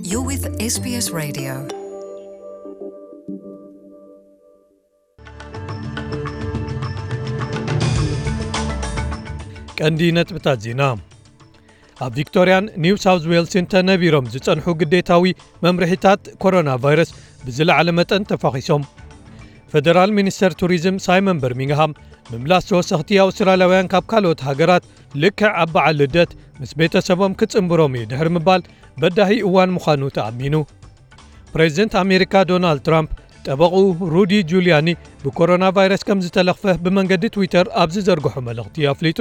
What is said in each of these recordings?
You're with S B S Radio. ቀንዲ ነጥብታት ዜና። ኣብ ቪክቶርያን ኒው ሳውዝ ዌልስን ተነቢሮም ዝጸንሑ ግዴታዊ መምርሒታት ኮሮና ቫይረስ ብዝለዓለ መጠን ተፋኺሶም። ፈደራል ሚኒስተር ቱሪዝም ሳይመን በርሚንግሃም፣ ምምላስ ተወሰኽቲ ኣውስትራልያውያን ካብ ካልኦት ሃገራት ልክዕ ኣብ በዓል ልደት ምስ ቤተሰቦም ክጽንብሮም እዩ ድሕሪ ምባል፣ በዳሂ እዋን ምዃኑ ተኣሚኑ። ፕሬዚደንት ኣሜሪካ ዶናልድ ትራምፕ፣ ጠበቕኡ ሩዲ ጁልያኒ ብኮሮና ቫይረስ ከም ዝተለኽፈ ብመንገዲ ትዊተር ኣብ ዝዘርግሖ መልእኽቲ ኣፍሊጡ።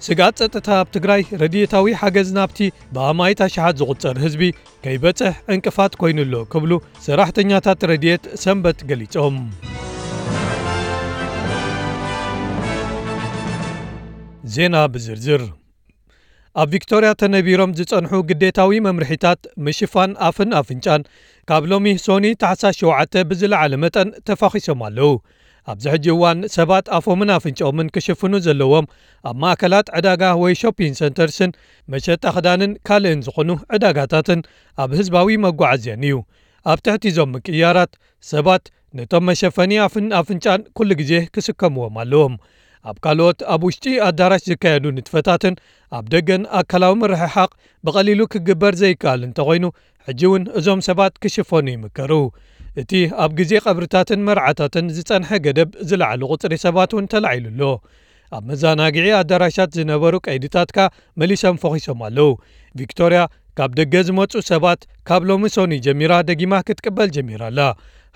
ስግኣት ጸጥታ ኣብ ትግራይ፣ ረድኤታዊ ሓገዝ ናብቲ ብኣማኢት ኣሽሓት ዝቑጸር ህዝቢ ከይበጽሕ ዕንቅፋት ኮይኑ'ሎ ክብሉ ሰራሕተኛታት ረድኤት ሰንበት ገሊጾም። ዜና ብዝርዝር። ኣብ ቪክቶርያ ተነቢሮም ዝጸንሑ ግዴታዊ መምርሒታት ምሽፋን ኣፍን ኣፍንጫን፣ ካብ ሎሚ ሶኒ ታሕሳስ ሸውዓተ ብዝለዓለ መጠን ተፋኺሶም ኣለዉ። ኣብዚ ሕጂ እዋን ሰባት ኣፎምን ኣፍንጫኦምን ክሽፍኑ ዘለዎም ኣብ ማእከላት ዕዳጋ ወይ ሾፒንግ ሰንተርስን መሸጣ ክዳንን ካልእን ዝኾኑ ዕዳጋታትን ኣብ ህዝባዊ መጓዓዝያን እዩ። ኣብ ትሕቲ እዞም ምቅይያራት፣ ሰባት ነቶም መሸፈኒ ኣፍን ኣፍንጫን ኩሉ ግዜ ክስከምዎም ኣለዎም። ኣብ ካልኦት ኣብ ውሽጢ ኣዳራሽ ዝካየዱ ንጥፈታትን ኣብ ደገን ኣካላዊ ምርሕሓቕ ብቐሊሉ ክግበር ዘይከኣል እንተኾይኑ፣ ሕጂ እውን እዞም ሰባት ክሽፈኑ ይምከሩ። እቲ ኣብ ግዜ ቀብርታትን መርዓታትን ዝጸንሐ ገደብ ዝለዓለ ቁጽሪ ሰባት እውን ተላዒሉ ኣሎ። ኣብ መዘናግዒ ኣዳራሻት ዝነበሩ ቀይድታት ከኣ መሊሶም ፈኺሶም ኣለዉ። ቪክቶርያ ካብ ደገ ዝመጹ ሰባት ካብ ሎሚ ሶኒ ጀሚራ ደጊማ ክትቅበል ጀሚራ ኣላ።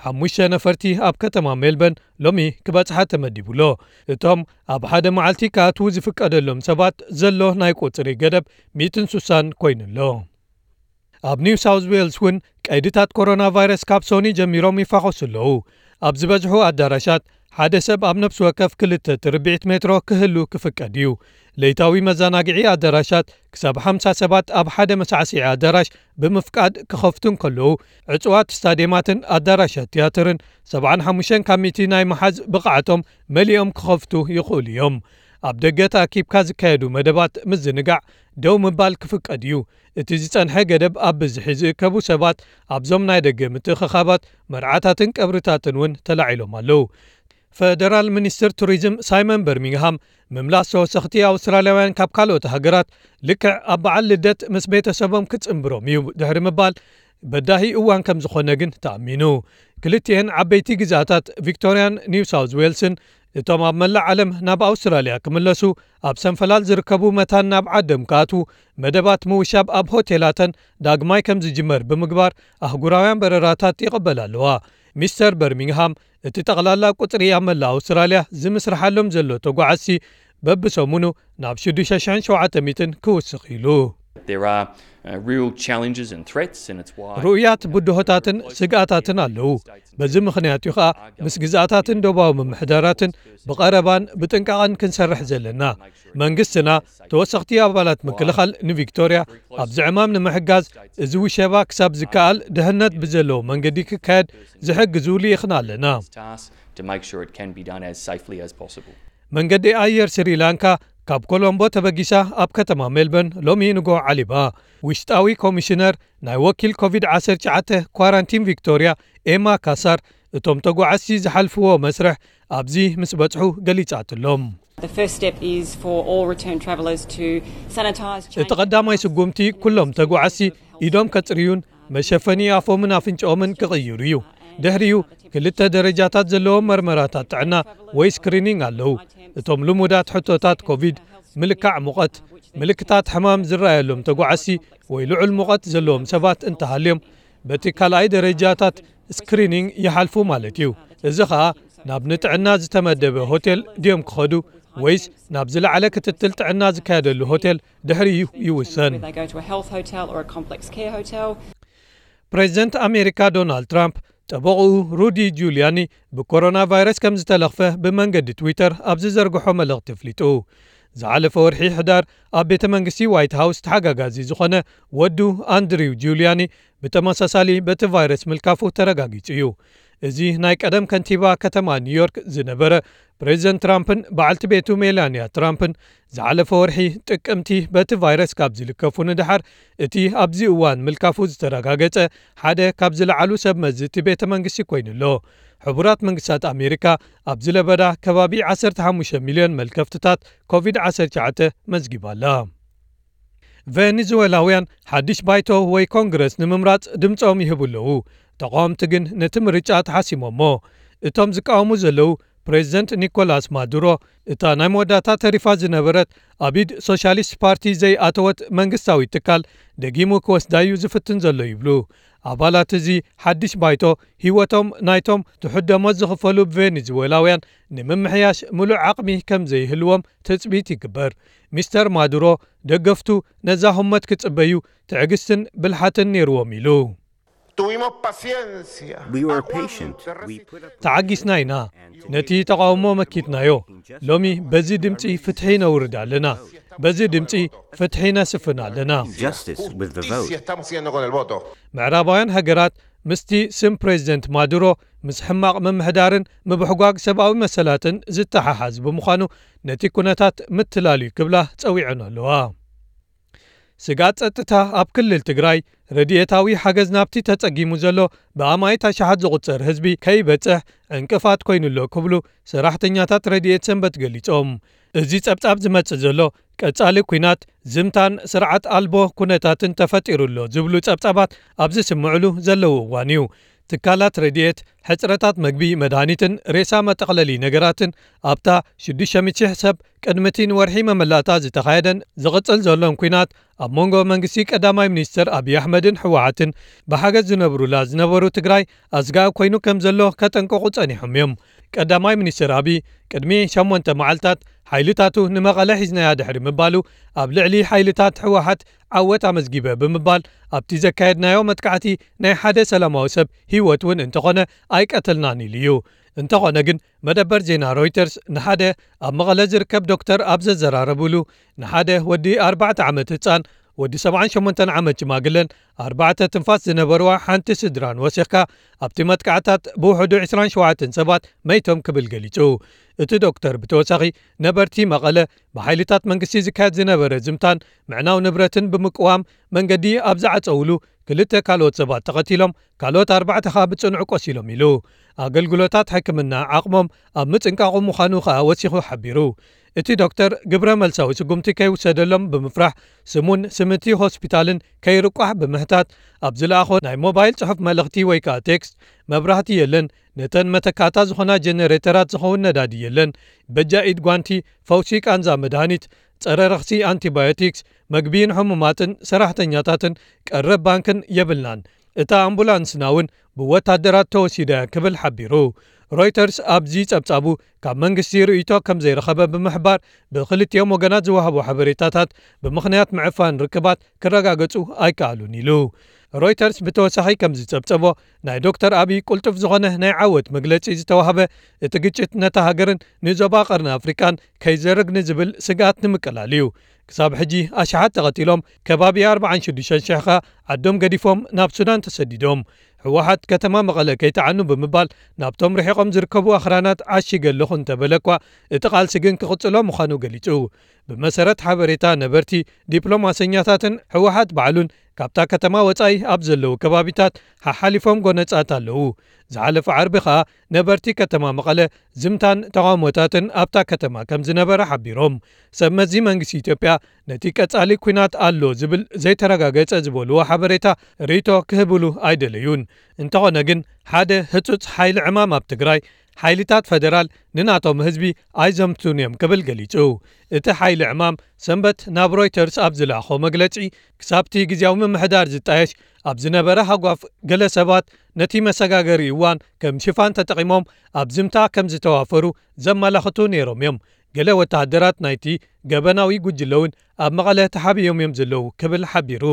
ሓሙሽተ ነፈርቲ ኣብ ከተማ ሜልበርን ሎሚ ክበጽሓ ተመዲቡ ኣሎ። እቶም ኣብ ሓደ መዓልቲ ክኣትዉ ዝፍቀደሎም ሰባት ዘሎ ናይ ቁጽሪ ገደብ ሚእትን ስሳን ኮይኑ ኣሎ። ኣብ ኒው ሳውዝ ዌልስ እውን ቀይድታት ኮሮና ቫይረስ ካብ ሶኒ ጀሚሮም ይፋኾሱ ኣለዉ። ኣብ ዝበዝሑ ኣዳራሻት ሓደ ሰብ ኣብ ነፍሲ ወከፍ ክልተ ትርብዒት ሜትሮ ክህሉ ክፍቀድ እዩ። ለይታዊ መዘናግዒ ኣዳራሻት ክሳብ ሓምሳ ሰባት ኣብ ሓደ መሳዕስዒ ኣዳራሽ ብምፍቃድ ክኸፍቱ እንከለዉ፣ ዕጹዋት ስታድየማትን ኣዳራሻት ትያትርን ሰብዓን ሓሙሽተን ካብ ሚእቲ ናይ ምሓዝ ብቕዓቶም መሊኦም ክኸፍቱ ይኽእሉ እዮም። ኣብ ደገ ተኣኪብካ ዝካየዱ መደባት ምዝንጋዕ ደው ምባል ክፍቀድ እዩ። እቲ ዝጸንሐ ገደብ ኣብ ብዝሒ ዝእከቡ ሰባት ኣብዞም ናይ ደገ ምትእኽኻባት፣ መርዓታትን ቀብርታትን እውን ተላዒሎም ኣለዉ። ፈደራል ሚኒስትር ቱሪዝም ሳይመን በርሚንግሃም፣ ምምላስ ተወሰኽቲ ኣውስትራልያውያን ካብ ካልኦት ሃገራት ልክዕ ኣብ በዓል ልደት ምስ ቤተሰቦም ክጽንብሮም እዩ ድሕሪ ምባል፣ በዳሂ እዋን ከም ዝኾነ ግን ተኣሚኑ። ክልቲኤን ዓበይቲ ግዝኣታት ቪክቶርያን ኒው ሳውዝ ዌልስን፣ እቶም ኣብ መላእ ዓለም ናብ ኣውስትራልያ ክምለሱ ኣብ ሰንፈላል ዝርከቡ መታን ናብ ዓዶም ክኣትዉ፣ መደባት ምውሻብ ኣብ ሆቴላተን ዳግማይ ከም ዝጅመር ብምግባር፣ ኣህጉራውያን በረራታት ይቕበላ ኣለዋ። ሚስተር በርሚንግሃም፣ እቲ ጠቕላላ ቁጽሪ ኣብ መላእ ኣውስትራልያ ዝምስርሓሎም ዘሎ ተጓዓዝቲ በብሰሙኑ ናብ ሽዱሽተ ሽሕን ሸውዓተ ሚእትን ክውስኽ ኢሉ። There are uh, real challenges and threats, and it's why ርኡያት ብድሆታትን ስግኣታትን ኣለዉ። በዚ ምኽንያት እዩ ኸኣ ምስ ግዝኣታትን ደቡባዊ ምምሕዳራትን ብቐረባን ብጥንቃቐን ክንሰርሕ ዘለና። መንግስትና፣ ተወሰኽቲ ኣባላት ምክልኻል ንቪክቶርያ ኣብዚ ዕማም ንምሕጋዝ፣ እዚ ውሸባ ክሳብ ዝከኣል ድሕነት ብዘለዎ መንገዲ ክካየድ ዝሕግዙ ልኢኽና ኣለና። Task to make sure it can be done as safely as possible. መንገዲ ኣየር ስሪላንካ ካብ ኮሎምቦ ተበጊሳ ኣብ ከተማ ሜልበርን ሎሚ ንግሆ ዓሊባ። ውሽጣዊ ኮሚሽነር ናይ ወኪል ኮቪድ ዓሰርተ ትሽዓተ ኳራንቲን ቪክቶርያ ኤማ ካሳር፣ እቶም ተጓዓዝቲ ዝሓልፍዎ መስርሕ ኣብዚ ምስ በጽሑ ገሊጻትሎም። The first step is for all return travellers to sanitise. እቲ ቀዳማይ ስጉምቲ ኩሎም ተጓዓዝቲ ኢዶም ከጽርዩን መሸፈኒ ኣፎምን ኣፍንጫኦምን ክቕይሩ እዩ። ድሕሪኡ ክልተ ደረጃታት ዘለዎም መርመራታት ጥዕና ወይ ስክሪኒንግ ኣለዉ። እቶም ልሙዳት ሕቶታት ኮቪድ፣ ምልካዕ ሙቐት፣ ምልክታት ሕማም ዝረኣየሎም ተጓዓዝቲ ወይ ልዑል ሙቐት ዘለዎም ሰባት እንተሃልዮም፣ በቲ ካልኣይ ደረጃታት ስክሪኒንግ ይሓልፉ ማለት እዩ። እዚ ኸኣ ናብ ንጥዕና ዝተመደበ ሆቴል ድዮም ክኸዱ ወይስ ናብ ዝለዓለ ክትትል ጥዕና ዝካየደሉ ሆቴል ድሕሪኡ ይውሰን። Whether they go to a health hotel or a complex care hotel. ፕሬዚደንት ኣሜሪካ ዶናልድ ትራምፕ፣ ጠበቕኡ ሩዲ ጁልያኒ ብኮሮና ቫይረስ ከም ዝተለኽፈ ብመንገዲ ትዊተር ኣብ ዝዘርግሖ መልእኽቲ ኣፍሊጡ። ዝሓለፈ ወርሒ ሕዳር ኣብ ቤተ መንግስቲ ዋይት ሃውስ ተሓጋጋዚ ዝኾነ ወዱ ኣንድሪው ጁልያኒ ብተመሳሳሊ በቲ ቫይረስ ምልካፉ ተረጋጊጹ እዩ። እዚ ናይ ቀደም ከንቲባ ከተማ ኒውዮርክ ዝነበረ ፕሬዚደንት ትራምፕን በዓልቲ ቤቱ ሜላንያ ትራምፕን ዝሓለፈ ወርሒ ጥቅምቲ በቲ ቫይረስ ካብ ዝልከፉ ንድሓር፣ እቲ ኣብዚ እዋን ምልካፉ ዝተረጋገጸ ሓደ ካብ ዝለዓሉ ሰብ መዚ እቲ ቤተ መንግስቲ ኮይኑ ኣሎ። ሕቡራት መንግስታት ኣሜሪካ ኣብዚ ለበዳ ከባቢ ዓሰርተ ሓሙሽተ ሚልዮን መልከፍትታት ኮቪድ ዓሰርተ ትሽዓተ መዝጊባ ኣላ። ቬኔዙዌላውያን ሓድሽ ባይቶ ወይ ኮንግረስ ንምምራጽ ድምጾም ይህቡ ኣለዉ። ተቓወምቲ ግን ነቲ ምርጫ ተሓሲሞሞ። እቶም ዝቃወሙ ዘለዉ ፕሬዚደንት ኒኮላስ ማዱሮ፣ እታ ናይ መወዳእታ ተሪፋ ዝነበረት ኣብ ኢድ ሶሻሊስት ፓርቲ ዘይኣተወት መንግስታዊ ትካል ደጊሙ ክወስዳዩ ዝፍትን ዘሎ ይብሉ። ኣባላት እዚ ሓድሽ ባይቶ ህይወቶም ናይቶም ትሑት ደሞዝ ዝኽፈሉ ቬኔዙዌላውያን ንምምሕያሽ ምሉእ ዓቕሚ ከም ዘይህልዎም ትጽቢት ይግበር። ሚስተር ማዱሮ ደገፍቱ ነዛ ህሞት ክጽበዩ ትዕግስትን ብልሓትን ነይርዎም ኢሉ። Tuvimos paciencia. We were patient. We put up ተዓጊስና ኢና። ነቲ ተቓውሞ መኪትናዮ። ሎሚ በዚ ድምፂ ፍትሒ ነውርድ ኣለና። በዚ ድምፂ ፍትሒ ነስፍን ኣለና። Justice with the vote. Justicia estamos haciendo con el voto. ምዕራባውያን ሃገራት ምስቲ ስም ፕሬዚደንት ማዱሮ ምስ ሕማቕ ምምሕዳርን ምብሕጓግ ሰብኣዊ መሰላትን ዝተሓሓዝ ብምዃኑ ነቲ ኩነታት ምትላል እዩ ክብላ ጸዊዐን ኣለዋ። ስጋት ጸጥታ ኣብ ክልል ትግራይ ረድኤታዊ ሓገዝ ናብቲ ተጸጊሙ ዘሎ ብኣማኢት ኣሽሓት ዝቑጸር ህዝቢ ከይበጽሕ ዕንቅፋት ኮይኑሎ ክብሉ ሰራሕተኛታት ረድኤት ሰንበት ገሊጾም። እዚ ጸብጻብ ዝመጽእ ዘሎ ቀጻሊ ኲናት ዝምታን ስርዓት ኣልቦ ኩነታትን ተፈጢሩሎ ዝብሉ ጸብጻባት ኣብ ዝስምዕሉ ዘለዉ እዋን እዩ። ትካላት ረድኤት ሕጽረታት መግቢ፣ መድሃኒትን ሬሳ መጠቕለሊ ነገራትን ኣብታ ሽዱሽተ ሚእቲ ሽሕ ሰብ ቅድሚ እቲ ንወርሒ መመላእታ ዝተኻየደን ዝቕጽል ዘሎን ኲናት ኣብ መንጎ መንግስቲ ቀዳማይ ሚኒስትር ኣብይ ኣሕመድን ህወሓትን ብሓገዝ ዝነብሩላ ዝነበሩ ትግራይ ኣስጋኢ ኮይኑ ከም ዘሎ ከጠንቀቑ ጸኒሖም እዮም። ቀዳማይ ሚኒስትር ኣብይ ቅድሚ ሸሞንተ መዓልታት ሓይልታቱ ንመቐለ ሒዝናያ ድሕሪ ምባሉ ኣብ ልዕሊ ሓይልታት ህወሓት ዓወት ኣመዝጊበ ብምባል ኣብቲ ዘካየድናዮ መጥቃዕቲ ናይ ሓደ ሰላማዊ ሰብ ህይወት እውን እንተኾነ ኣይቀተልናን ኢሉ እዩ። እንተኾነ ግን መደበር ዜና ሮይተርስ ንሓደ ኣብ መቐለ ዝርከብ ዶክተር ኣብ ዘዘራረብሉ ንሓደ ወዲ ኣርባዕተ ዓመት ህጻን ወዲ ሰብዓን ሸሞንተን ዓመት ሽማግለን ኣርባዕተ ትንፋስ ዝነበርዋ ሓንቲ ስድራን ወሲኽካ ኣብቲ መጥቃዕታት ብውሕዱ ዕስራን ሸውዓተን ሰባት መይቶም ክብል ገሊጹ። እቲ ዶክተር ብተወሳኺ ነበርቲ መቐለ ብሓይልታት መንግስቲ ዝካየድ ዝነበረ ዝምታን ምዕናው ንብረትን ብምቅዋም መንገዲ ኣብ ዝዓጸውሉ ክልተ ካልኦት ሰባት ተቐቲሎም ካልኦት ኣርባዕተ ኸኣ ብጽኑዕ ቆሲሎም ኢሉ። ኣገልግሎታት ሕክምና ዓቕሞም ኣብ ምጽንቃቑ ምዃኑ ኸኣ ወሲኹ ሓቢሩ። እቲ ዶክተር ግብረ መልሳዊ ስጉምቲ ከይውሰደሎም ብምፍራሕ ስሙን ስምቲ ሆስፒታልን ከይርቋሕ ብምሕታት ኣብ ዝለኣኾ ናይ ሞባይል ጽሑፍ መልእኽቲ ወይ ከኣ ቴክስት መብራህቲ የለን፣ ነተን መተካእታ ዝኾና ጀነሬተራት ዝኸውን ነዳዲ የለን፣ በጃ ኢድ ጓንቲ፣ ፈውሲ ቃንዛ መድሃኒት፣ ጸረ ረኽሲ ኣንቲባዮቲክስ፣ መግቢ ንሕሙማትን ሰራሕተኛታትን ቀረብ ባንክን የብልናን። እታ ኣምቡላንስና እውን ብወታደራት ተወሲዳ እያ ክብል ሓቢሩ። ሮይተርስ ኣብዚ ጸብጻቡ ካብ መንግስቲ ርእይቶ ከም ዘይረኸበ ብምሕባር ብክልቲኦም ወገናት ዝወሃቡ ሓበሬታታት ብምኽንያት ምዕፋን ርክባት ክረጋገጹ ኣይከኣሉን ኢሉ። ሮይተርስ ብተወሳኺ ከም ዝጸብጸቦ ናይ ዶክተር ኣብይ ቅልጡፍ ዝኾነ ናይ ዓወት መግለጺ ዝተዋህበ እቲ ግጭት ነታ ሃገርን ንዞባ ቀርኒ ኣፍሪቃን ከይዘርግ ንዝብል ስግኣት ንምቅላል እዩ። ክሳብ ሕጂ ኣሽሓት ተቐቲሎም ከባቢ ኣርባዓን ሽዱሽተን ሽሕ ኸኣ ዓዶም ገዲፎም ናብ ሱዳን ተሰዲዶም። ህወሓት ከተማ መቐለ ከይተዓኑ ብምባል ናብቶም ርሒቖም ዝርከቡ ኣኽራናት ዓሺገ ኣለኹ እንተበለ እኳ እቲ ቃልሲ ግን ክቕጽሎ ምዃኑ ገሊጹ። ብመሰረት ሓበሬታ ነበርቲ ዲፕሎማሰኛታትን ህወሓት ባዕሉን ካብታ ከተማ ወጻኢ ኣብ ዘለዉ ከባቢታት ሓሓሊፎም ጎነጻት ኣለዉ። ዝሓለፈ ዓርቢ ኸኣ ነበርቲ ከተማ መቐለ ዝምታን ተቓውሞታትን ኣብታ ከተማ ከም ዝነበረ ሓቢሮም። ሰብ መዚ መንግስቲ ኢትዮጵያ ነቲ ቀጻሊ ኲናት ኣሎ ዝብል ዘይተረጋገጸ ዝበልዎ ሓበሬታ ርእይቶ ክህብሉ ኣይደለዩን። እንተኾነ ግን ሓደ ህጹጽ ሓይሊ ዕማም ኣብ ትግራይ ሓይልታት ፈደራል ንናቶም ህዝቢ ኣይዘምቱን እዮም ክብል ገሊጹ። እቲ ሓይሊ ዕማም ሰንበት ናብ ሮይተርስ ኣብ ዝለኣኾ መግለጺ ክሳብቲ ግዜያዊ ምምሕዳር ዝጣየሽ ኣብ ዝነበረ ሃጓፍ ገለ ሰባት ነቲ መሰጋገሪ እዋን ከም ሽፋን ተጠቒሞም ኣብ ዝምታ ከም ዝተዋፈሩ ዘመላኽቱ ነይሮም እዮም። ገለ ወተሃደራት ናይቲ ገበናዊ ጉጅለ እውን ኣብ መቐለ ተሓቢኦም እዮም ዘለዉ ክብል ሓቢሩ።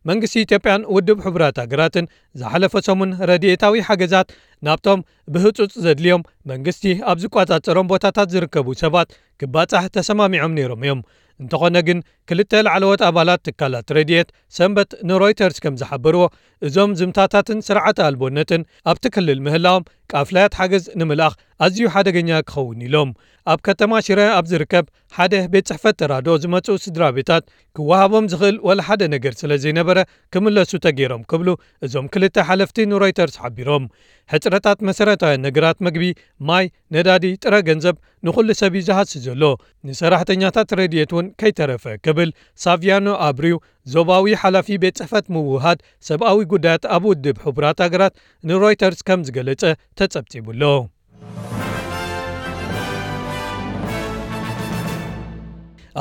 መንግስቲ ኢትዮጵያን ውድብ ሕቡራት ሃገራትን ዝሓለፈ ሰሙን ረድኤታዊ ሓገዛት ናብቶም ብህጹጽ ዘድልዮም መንግስቲ ኣብ ዝቆጻጸሮም ቦታታት ዝርከቡ ሰባት ክባጻሕ ተሰማሚዖም ነይሮም እዮም። እንተኾነ ግን ክልተ ላዕለዎት ኣባላት ትካላት ረድኤት ሰንበት ንሮይተርስ ከም ዝሓበርዎ፣ እዞም ዝምታታትን ስርዓተ ኣልቦነትን ኣብቲ ክልል ምህላዎም ቃፍላያት ሓገዝ ንምልኣኽ ኣዝዩ ሓደገኛ ክኸውን ኢሎም። ኣብ ከተማ ሽረ ኣብ ዝርከብ ሓደ ቤት ጽሕፈት ተራድኦ ዝመጹ ስድራ ቤታት ክወሃቦም ዝኽእል ወላ ሓደ ነገር ስለ ዘይነበረ ክምለሱ ተገይሮም ክብሉ እዞም ክልተ ሓለፍቲ ንሮይተርስ ሓቢሮም። ሕጽረታት መሰረታውያን ነገራት፣ መግቢ፣ ማይ፣ ነዳዲ፣ ጥረ ገንዘብ ንኹሉ ሰብ እዩ ዝሃሲ ዘሎ። ንሰራሕተኛታት ረድኤት እውን ከይተረፈ ክብል ሳቪያኖ ኣብሪው፣ ዞባዊ ሓላፊ ቤት ጽሕፈት ምውህሃድ ሰብኣዊ ጉዳያት ኣብ ውድብ ሕቡራት ሃገራት ንሮይተርስ ከም ዝገለጸ ተጸብጺቡ ኣሎ።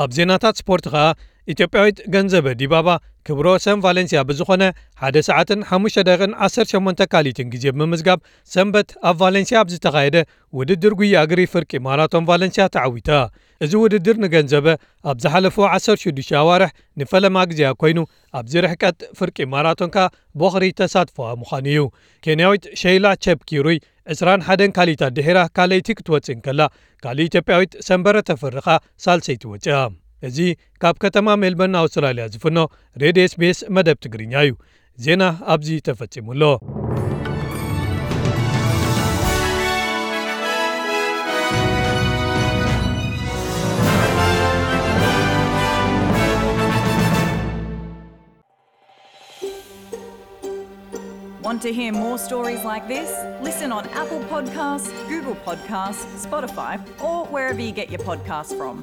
ኣብ ዜናታት ስፖርት ኸኣ፣ ኢትዮጵያዊት ገንዘበ ዲባባ ክብረ ወሰን ቫለንሲያ ብዝኾነ ሓደ ሰዓትን ሓሙሽተ ደቂቕን ዓሰርተ ሸሞንተ ካሊትን ግዜ ብምምዝጋብ ሰንበት ኣብ ቫለንሲያ ኣብ ዝተኻየደ ውድድር ጉያ እግሪ ፍርቂ ማራቶን ቫለንሲያ ተዓዊታ። እዚ ውድድር ንገንዘበ ኣብ ዝሓለፉ ዓሰርተ ሽዱሽተ ኣዋርሕ ንፈለማ ግዜኣ ኮይኑ፣ ኣብዚ ርሕቀት ፍርቂ ማራቶን ከኣ ቦኽሪ ተሳትፎኣ ምዃኑ እዩ። ኬንያዊት ሸይላ ቸፕኪሩይ ዕስራን ሓደን ካሊታት ድሒራ ካልኣይቲ ክትወጽእ እንከላ፣ ካልእ ኢትዮጵያዊት ሰንበረ ተፈሪ ኸኣ ሳልሰይቲ ወጺኣ። እዚ ካብ ከተማ ሜልበርን ኣውስትራልያ ዝፍኖ ሬድዮ ኤስቢኤስ መደብ ትግርኛ እዩ። ዜና ኣብዚ ተፈጺሙ ኣሎ። Want to hear more stories like this? Listen on Apple Podcasts, Google Podcasts, Spotify, or wherever you get your podcasts from.